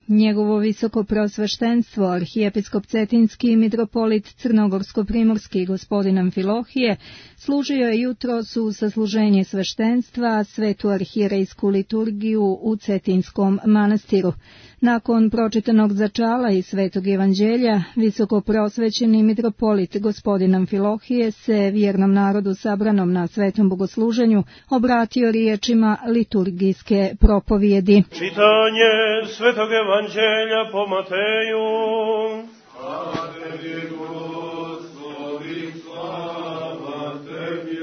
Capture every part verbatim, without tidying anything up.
Njegovo visoko preosveštenstvo, arhijepiskop Cetinski i mitropolit Crnogorsko-primorski gospodin Amfilohije, služio je jutros u sasluženje sveštenstva svetu arhierejsku liturgiju u Cetinskom manastiru. Nakon pročitanog začala i svetog evanđelja, visoko preosvećeni mitropolit gospodin Amfilohije se vjernom narodu sabranom na svetom bogosluženju obratio riječima liturgijske propovijedi. Čitanje svetog evanđelja po Mateju. Slava tebi, Gospodi, slava tebi.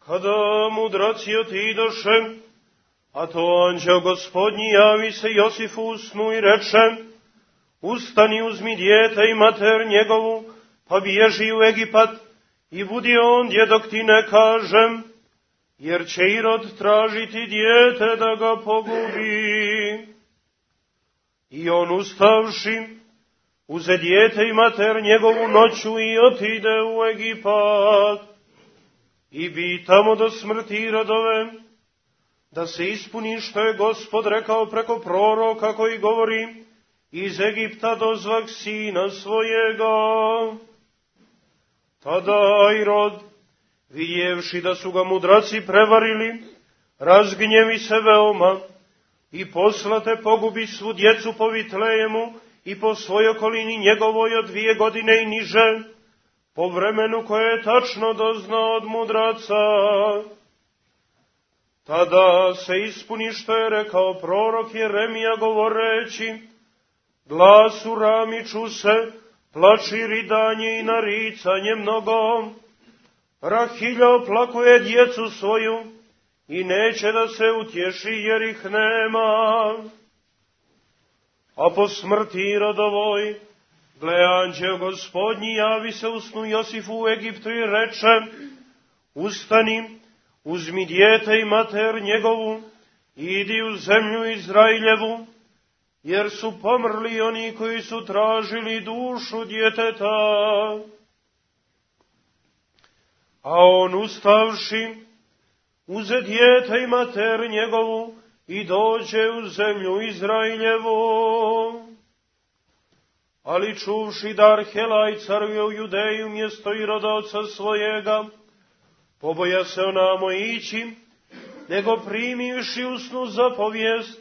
Kada mudraci otidoše, a to anđeo gospodnji javi se Josifu u snu i reče: Ustani, uzmi dijete i mater njegovu, pa bježi u Egipat i budi ondje dok ti ne kažem, jer će Irod tražiti dijete da ga pogubi. I on ustavši, uze dijete i mater njegovu noću i otide u Egipat. I bi tamo do smrti Irodove, da se ispuni što je Gospod rekao preko proroka koji govori: iz Egipta dozvah sina svojega. Tada Irod, vidjevši da su ga mudraci prevarili, razgnjevi se veoma i poslate pogubi svu djecu po Vitlejemu i po svoj okolini njegovoj od dvije godine i niže, po vremenu koje je tačno doznao od mudraca. Tada se ispuni što je rekao prorok Jeremija govoreći: glas u rami čuse, plač i ridanje i naricanje mnogo. Rahilja oplakuje djecu svoju i neće da se utješi jer ih nema. A po smrti Irodovoj, gle, anđeo gospodnji javi se u snu Josifu u Egiptu i reče: ustani, uzmi dijete i mater njegovu, idi u zemlju Izrailjevu, jer su pomrli oni koji su tražili dušu djeteta. A on ustavši, uze dijete i mater njegovu i dođe u zemlju Izrailjevu. Ali čuvši da Arhelaj caruje u Judeju mjesto Iroda oca svojega, poboja se onamo ići, nego primivši u snu zapovijest,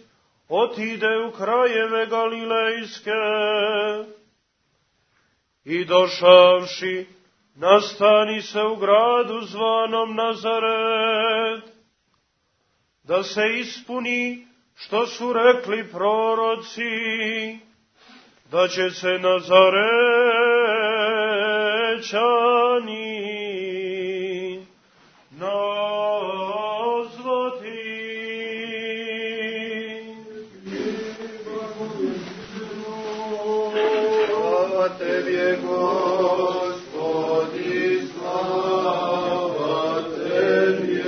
otide u krajeve Galilejske. I došavši, nastani se u gradu zvanom Nazaret, da se ispuni što su rekli proroci, da će se Nazarećani nazvati. Slava tebi, Gospodi, slava tebi.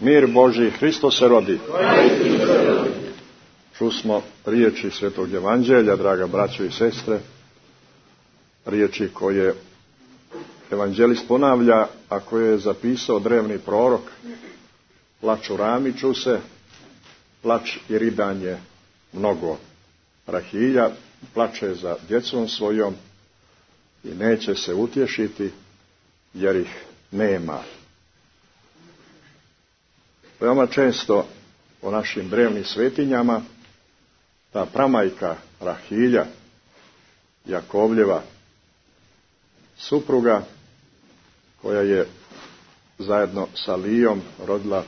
Mir Božji, Hristos se rodi. Čusmo riječi svetog evanđelja, draga braćo i sestre, riječi koje evanđelist ponavlja, a koje je zapisao drevni prorok: plač u rami čuse, plač i ridanje mnogo. Rahilja plače za djecom svojom i neće se utješiti jer ih nema. Veoma često u našim drevnim svetinjama ta pramajka Rahilja, Jakovljeva supruga, koja je zajedno sa Lijom rodila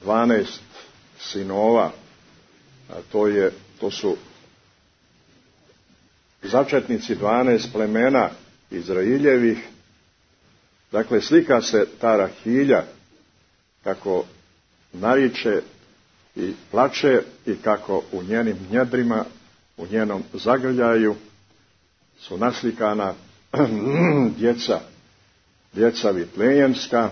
dvanaest sinova, a to, je, to su začetnici dvanaest plemena Izraeljevih. Dakle, slika se ta Rahilja kako nariče i plače i kako u njenim njedrima, u njenom zagrljaju su naslikana djeca, djeca Vitlejemska,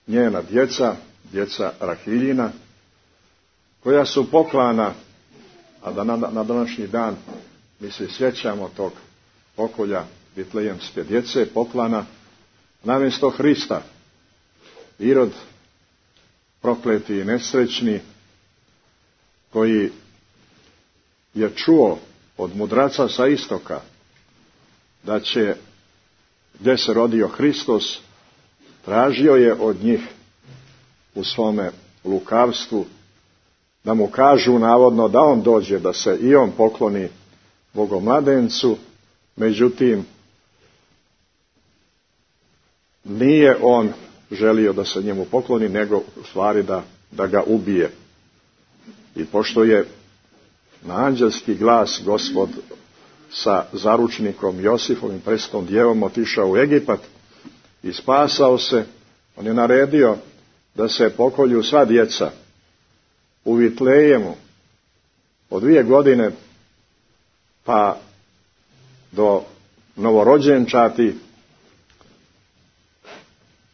njena djeca, djeca Rahiljina, koja su poklana, a da na, na današnji dan mi se sjećamo tog pokolja Vitlejemske djece, poklana namjesto Hrista. Irod, prokleti i nesrećni, koji je čuo od mudraca sa istoka da će, gdje se rodio Hristos, tražio je od njih u svome lukavstvu da mu kažu navodno da on dođe, da se i on pokloni Bogomladencu, međutim nije on želio da se njemu pokloni, nego u stvari da, da ga ubije. I pošto je na anđelski glas Gospod sa zaručnikom Josifom i presvetom djevom otišao u Egipat i spasao se, on je naredio da se pokolju sva djeca u Vitlejemu od dvije godine pa do novorođenčati,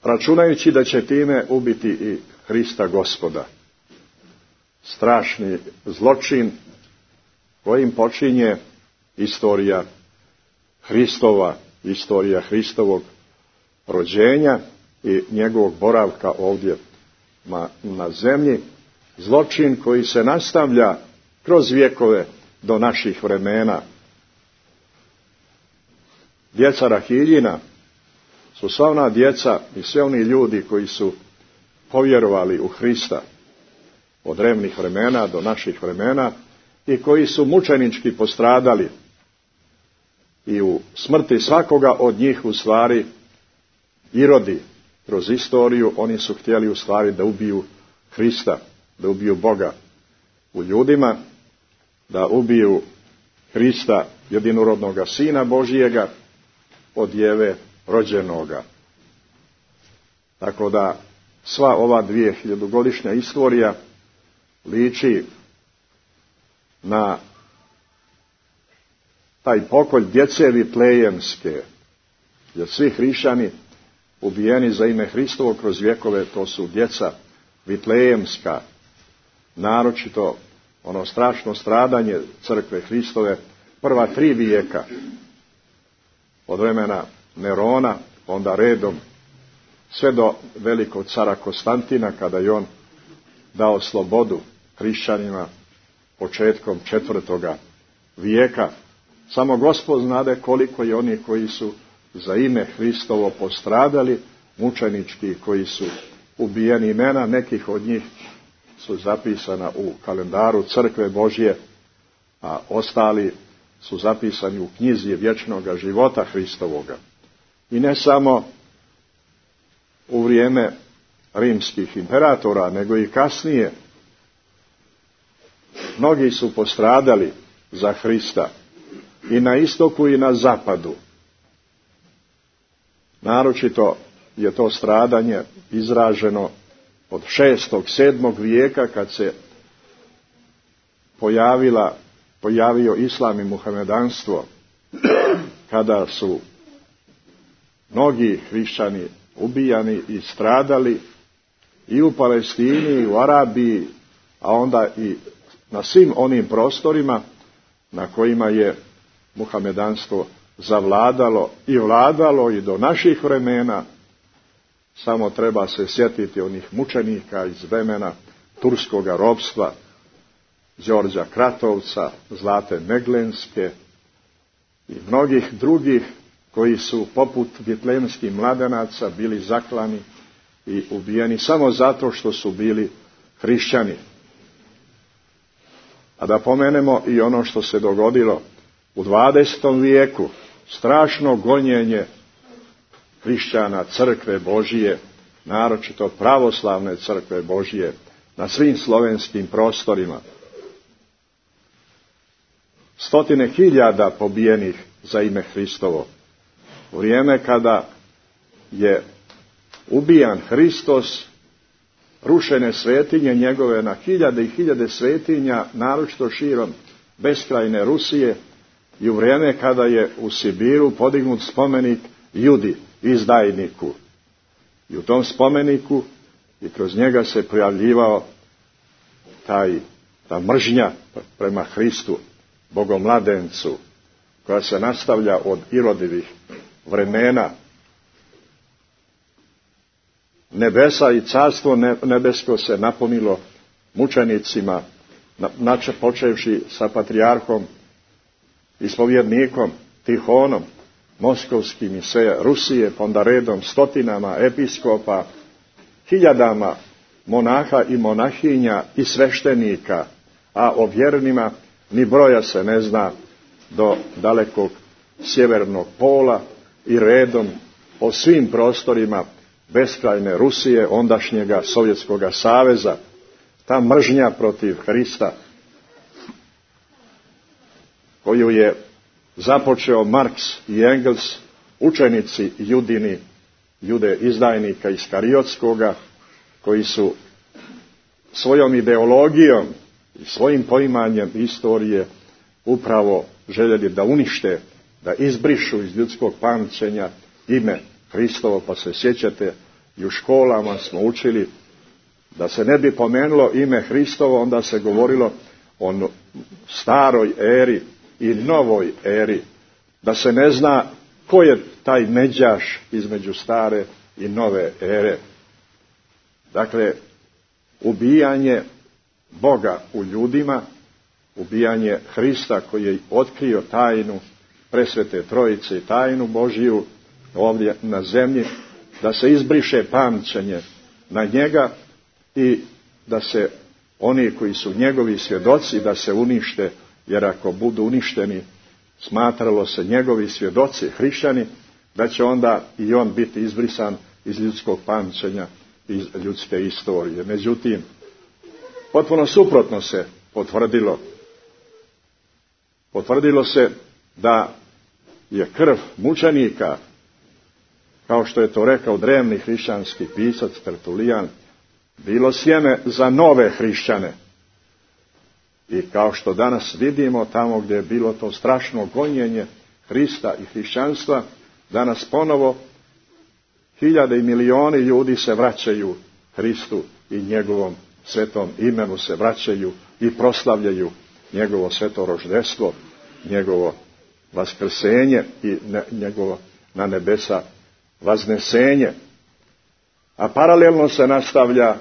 računajući da će time ubiti i Hrista Gospoda. Strašni zločin kojim počinje istorija Hristova, istorija Hristovog rođenja i njegovog boravka ovdje na zemlji. Zločin koji se nastavlja kroz vjekove do naših vremena. Djeca Rahiljina su sva ona djeca i sve oni ljudi koji su povjerovali u Hrista od drevnih vremena do naših vremena i koji su mučenički postradali. I u smrti svakoga od njih u stvari Irodi kroz istoriju, oni su htjeli u stvari da ubiju Hrista, da ubiju Boga u ljudima, da ubiju Hrista, jedinorodnoga Sina Božijega, od djeve rođenoga. Tako da sva ova dvije hiljadugodišnja istorija liči na taj pokolj djece Vitlejemske, jer svi hrišćani ubijeni za ime Hristovo kroz vjekove, to su djeca Vitlejemska, naročito ono strašno stradanje crkve Hristove prva tri vijeka, od vremena Nerona, onda redom, sve do velikog cara Konstantina, kada je on dao slobodu hrišćanima početkom četvrtoga vijeka. Samo Gospod znade koliko je oni koji su za ime Hristovo postradali, mučenički, koji su ubijeni. Imena nekih od njih su zapisana u kalendaru crkve Božje, a ostali su zapisani u knjizi vječnoga života Hristovoga. I ne samo u vrijeme rimskih imperatora, nego i kasnije. Mnogi su postradali za Hrista i na istoku i na zapadu. Naročito je to stradanje izraženo od šestog, sedmog vijeka, kad se pojavila, pojavio islam i muhamedanstvo, kada su mnogi hrišćani ubijani i stradali i u Palestini, i u Arabiji, a onda i na svim onim prostorima na kojima je muhamedanstvo zavladalo i vladalo i do naših vremena. Samo treba se sjetiti onih mučenika iz vremena turskoga ropstva, Đorđa Kratovca, Zlate Meglenske i mnogih drugih koji su poput vitlejemskih mladenaca bili zaklani i ubijeni samo zato što su bili hrišćani. A da pomenemo i ono što se dogodilo u dvadesetom vijeku, strašno gonjenje hrišćana crkve Božije, naročito pravoslavne crkve Božije, na svim slovenskim prostorima. Stotine hiljada pobijenih za ime Hristovo. U vrijeme kada je ubijan Hristos, rušene svetinje njegove na hiljade i hiljade svetinja, naročito širom beskrajne Rusije, i u vrijeme kada je u Sibiru podignut spomenik Judi, izdajniku. I u tom spomeniku i kroz njega se pojavljivao taj, ta mržnja prema Hristu, Bogomladencu, koja se nastavlja od Irodivih vremena. nebesa i carstvo nebesko se napunilo mučenicima, načе počevši sa patrijarhom, ispovjednikom Tihonom, moskovskim i sve Rusije, pa onda redom stotinama episkopa, hiljadama monaha i monahinja i sveštenika, a o vjernima ni broja se ne zna do dalekog sjevernog pola i redom po svim prostorima beskrajne Rusije, ondašnjega Sovjetskoga saveza. Ta mržnja protiv Hrista koju je započeo Marks i Engels, učenici Judini, Jude izdajnika Iskariotskoga, koji su svojom ideologijom i svojim poimanjem istorije upravo željeli da unište, da izbrišu iz ljudskog pamćenja ime Hristovo, pa se sjećate i u školama smo učili da se ne bi pomenulo ime Hristovo, onda se govorilo o staroj eri i novoj eri, da se ne zna ko je taj međaš između stare i nove ere. Dakle, ubijanje Boga u ljudima, ubijanje Hrista koji je otkrio tajnu presvete Trojice i tajnu Božiju ovdje na zemlji, da se izbriše pamćenje na njega i da se oni koji su njegovi svjedoci da se unište, jer ako budu uništeni, smatralo se njegovi svjedoci, hrišćani, da će onda i on biti izbrisan iz ljudskog pamćenja, iz ljudske istorije. Međutim, potpuno suprotno se potvrdilo. Potvrdilo se da je krv mučenika, kao što je to rekao drevni hrišćanski pisac Tertulijan, bilo sjeme za nove hrišćane. I kao što danas vidimo, tamo gdje je bilo to strašno gonjenje Hrista i hrišćanstva, danas ponovo hiljade i milioni ljudi se vraćaju Hristu i njegovom svetom imenu, se vraćaju i proslavljaju njegovo sveto roždestvo, njegovo vaskrsenje i njegovo na nebesa vaznesenje. A paralelno se nastavlja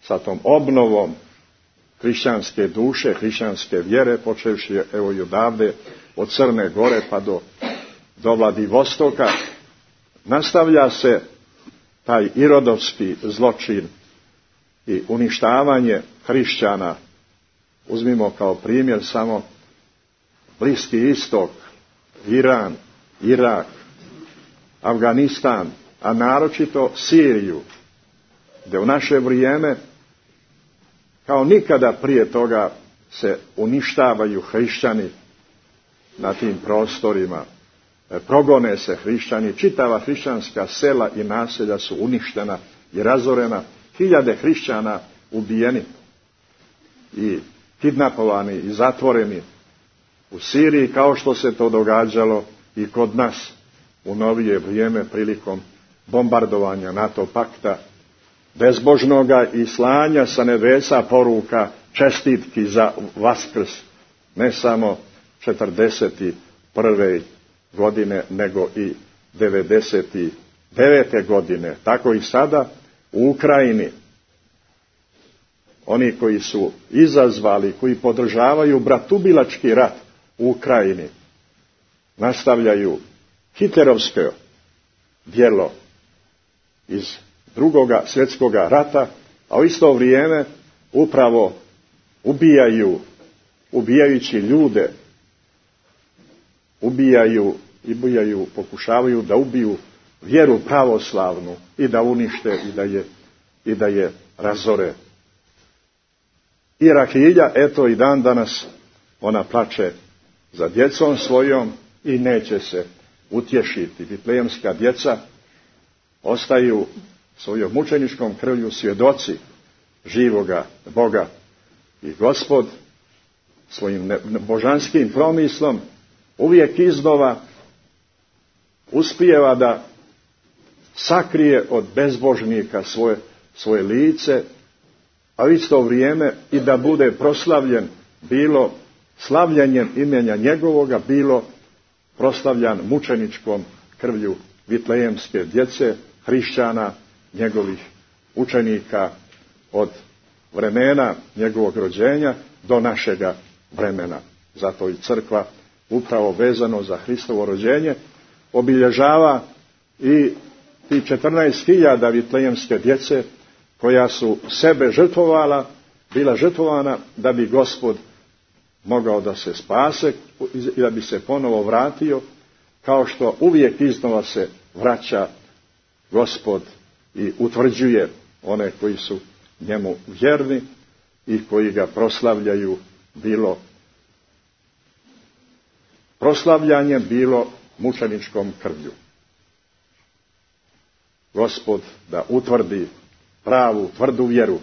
sa tom obnovom hrišćanske duše, hrišćanske vjere, počevši evo i odavde, od Crne Gore pa do, do Vladivostoka, nastavlja se taj irodovski zločin i uništavanje hrišćana. Uzmimo kao primjer samo Bliski istok, Iran, Irak, Afganistan, a naročito Siriju, gdje u naše vrijeme kao nikada prije toga se uništavaju hrišćani na tim prostorima. Progone se hrišćani, čitava hrišćanska sela i naselja su uništena i razorena, hiljade hrišćana ubijeni i kidnapovani i zatvoreni u Siriji, kao što se to događalo i kod nas u novije vrijeme prilikom bombardovanja NATO pakta, bezbožnoga i slanja sa nebesa poruka čestitki za Vaskrs, ne samo četrdeset prve godine, nego i devedeset devete godine. Tako i sada u Ukrajini oni koji su izazvali, koji podržavaju bratubilački rat u Ukrajini, nastavljaju hitlerovsko djelo iz drugoga svjetskoga rata, a u isto vrijeme upravo ubijaju, ubijajući ljude, ubijaju i ubijaju, pokušavaju da ubiju vjeru pravoslavnu i da unište i da je, i da je razore. I Rahilja, eto i dan danas, ona plače za djecom svojom i neće se utješiti. Vitlejemska djeca ostaju svojom mučeničkom krvlju svjedoci živoga Boga. I Gospod svojim božanskim promislom uvijek iznova uspijeva da sakrije od bezbožnika svoje, svoje lice, a u isto vrijeme i da bude proslavljen bilo slavljanjem imena njegovoga, bilo proslavljan mučeničkom krvlju vitlejemske djece, hrišćana njegovih učenika od vremena njegovog rođenja do našega vremena. Zato i crkva, upravo vezano za Hristovo rođenje, obilježava i ti četrnaest hiljada vitlejemske djece koja su sebe žrtvovala, bila žrtvovana da bi Gospod mogao da se spase i da bi se ponovo vratio, kao što uvijek iznova se vraća Gospod i utvrđuje one koji su njemu vjerni i koji ga proslavljaju, bilo proslavljanjem, bilo mučeničkom krvlju. Gospod da utvrdi pravu, tvrdu vjeru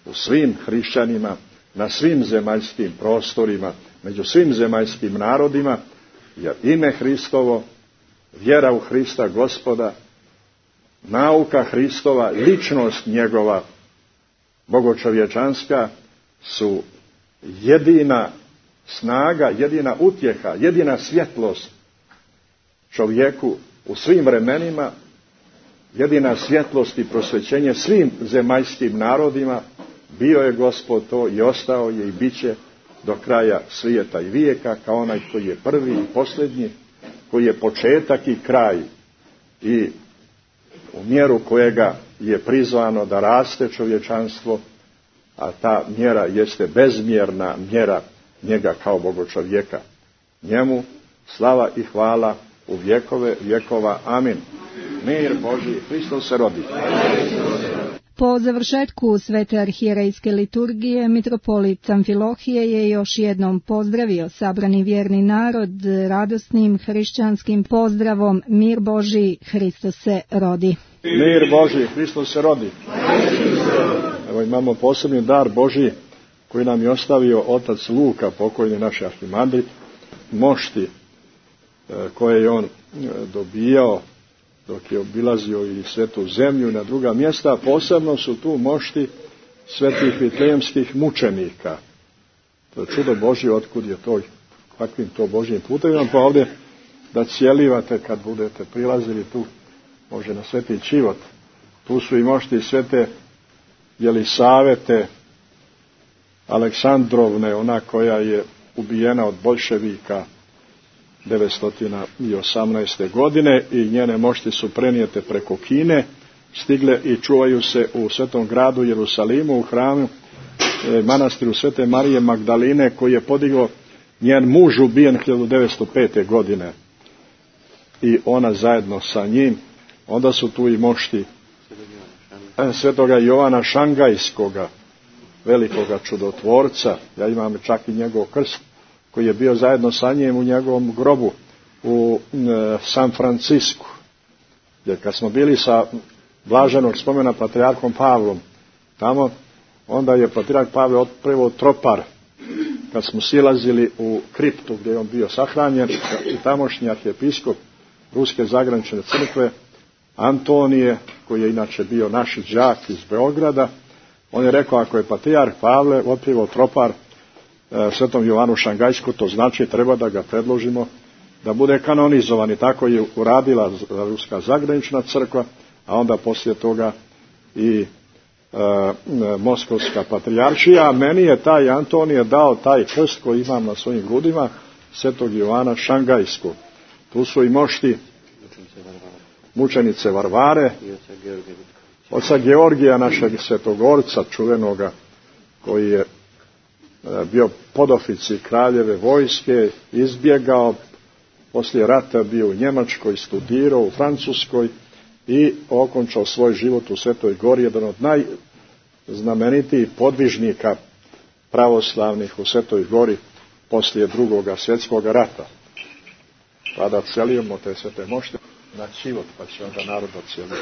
u svim hrišćanima, na svim zemaljskim prostorima, među svim zemaljskim narodima, jer ime Hristovo, vjera u Hrista Gospoda, nauka Hristova, ličnost njegova, bogočovječanska, su jedina snaga, jedina utjeha, jedina svjetlost čovjeku u svim vremenima, jedina svjetlost i prosvećenje svim zemaljskim narodima. Bio je Gospod to i ostao je i bit će do kraja svijeta i vijeka, kao onaj koji je prvi i posljednji, koji je početak i kraj, i u mjeru kojega je prizvano da raste čovječanstvo, a ta mjera jeste bezmjerna mjera njega kao bogočovjeka. Njemu slava i hvala u vjekove vjekova. Amin. Mir Božji, Hristos se rodi. Po završetku svete arhijerejske liturgije, mitropolit Amfilohije je još jednom pozdravio sabrani vjerni narod radosnim hrišćanskim pozdravom: Mir Božji, Hristos se rodi. Mir Božji, Hristos se rodi. Evo imamo posebni dar Božji koji nam je ostavio otac Luka, pokojni naš arhimandrit, mošti koje je on dobijao dok je obilazio i svetu zemlju i na druga mjesta. Posebno su tu mošti svetih vitlejemskih mučenika. To je čudo Božje, otkud je to, kakvim to Božjim putevima, pa ovdje da cijelivate kad budete prilazili tu, može na sveti Čivot. Tu su i mošti svete Jelisavete Aleksandrovne, ona koja je ubijena od boljševika devetsto osamnaeste. godine, i njene mošti su prenijete preko Kine, stigle i čuvaju se u svetom gradu Jerusalimu, u hramu, e, manastiru Svete Marije Magdaline, koji je podigao njen muž, ubijen hiljadu devetsto pete. godine. I ona zajedno sa njim. Onda su tu i mošti e, svetoga Jovana Šangajskoga, velikoga čudotvorca. Ja imam čak i njegov krst, koji je bio zajedno sa njim u njegovom grobu u e, San Francisku. Jer kad smo bili sa blaženog spomena patrijarhom Pavlom tamo, onda je patrijarh Pavle otprevao tropar kad smo silazili u kriptu gdje je on bio sahranjen, i tamošnji arhijepiskop Ruske zagranične crkve Antonije, koji je inače bio naš đak iz Beograda, on je rekao, ako je patrijarh Pavle otprevao tropar svetom Jovanu Šangajsku, to znači treba da ga predložimo da bude kanonizovan. I tako je uradila Ruska zagranična crkva, a onda poslije toga i e, Moskovska patrijaršija. A meni je taj Antonije dao taj krst koji imam na svojim grudima, svetog Jovana Šangajskog. Tu su i mošti mučenice Varvare, oca Georgija, našeg svetogorca čuvenoga, koji je bio podoficir kraljeve vojske, izbjegao, poslije rata bio u Njemačkoj, studirao u Francuskoj i okončao svoj život u Svetoj Gori, jedan od najznamenitijih podvižnika pravoslavnih u Svetoj Gori poslije drugoga svjetskog rata. Tada celimo te svete mošte na Čivot, pa će onda narod ocijeliti.